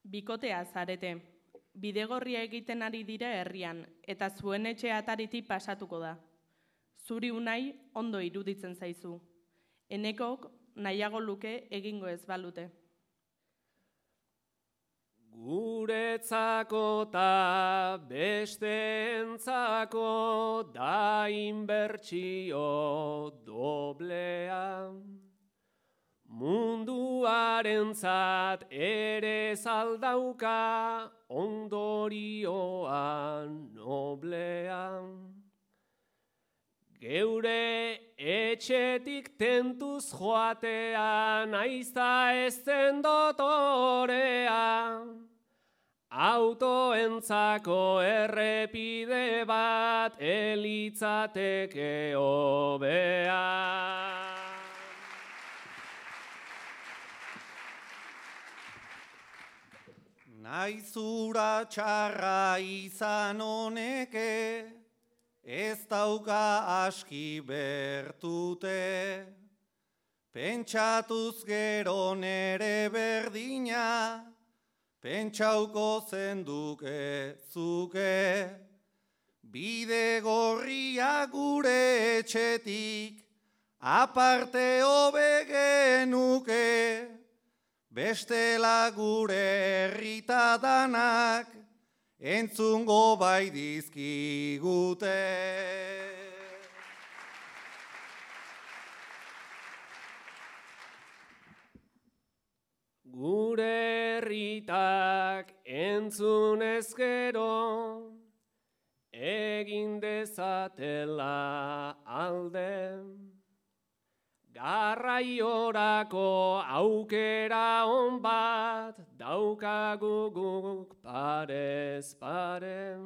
Bikotea zarete. Bidegorria egiten ari dira herrian, eta zuen etxe ataritik pasatuko da. Zuri unai ondo iruditzen zaizu. Enekok nahiago luke egingo ez balute. Guretzako ta besteentzako da inbertsio doblea. Munduarentzat ere zaldauka ondorioa noblea. Geure etxetik tentuz joatean aizta ezten dotorea. Autoentzako errepide bat elitzateke hobea. Naizura txarra izan honeke, ez dauka aski bertute. Pentsatuz gero nere berdina, pentsauko zenduke zuke. Bidegorria gure etxetik, aparte hobe genuke. Bestela gure herrita danak, entzungo bai dizkigute. Gure herritak entzun ezkero, egin dezatela alde. Garraiorako aukera on bat daukagu guk parez pare.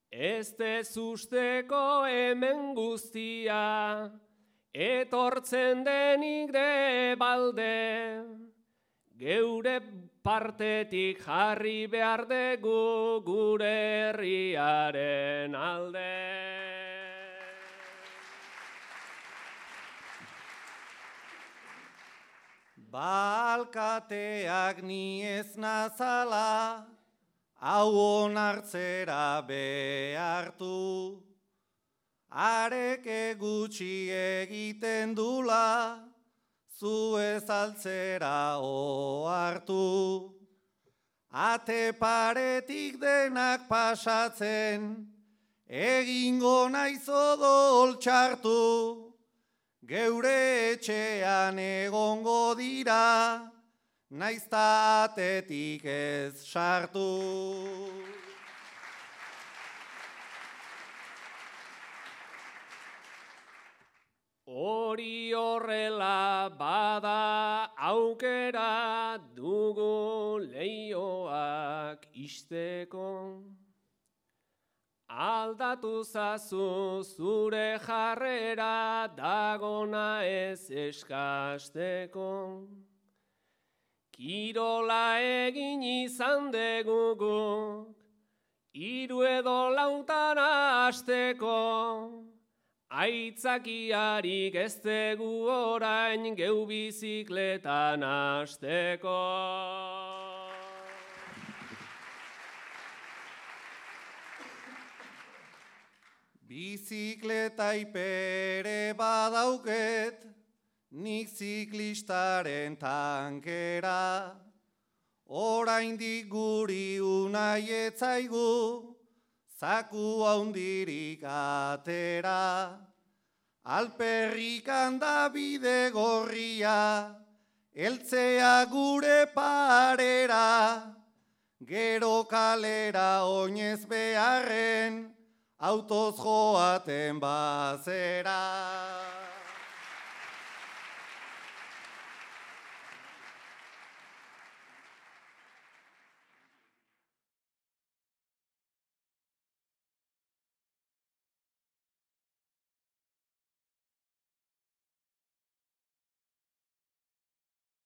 Ez dezusteko hemen guztia, etortzen denik de balde. Geure partetik jarri behar dugu gure herriaren alde. Balkateak ni ez nazala, hau onartzera behartu. Areke gutxi egiten dula, zu ez altzera ohartu. Ate paretik denak pasatzen, egingo naiz odol txartu. Geure etxean egongo dira, naizta atetik ez sartu. Hori horrela bada aukera dugu leioak isteko. Aldatu zazu zure jarrera dagona ez eskasteko. Kirola egin izan deguguk, 3 edo 4 asteko. Aitzakiarik ez dugu orain geu bizikletan hasteko. Bizikleta ipere badauket, nik ziklistaren tankera. Oraindik guri unai etzaigu, zaku haundirik atera. Alperrikan da bidegorria, eltzea gure parera. Gero kalera oinez beharren, autoz joaten bazera.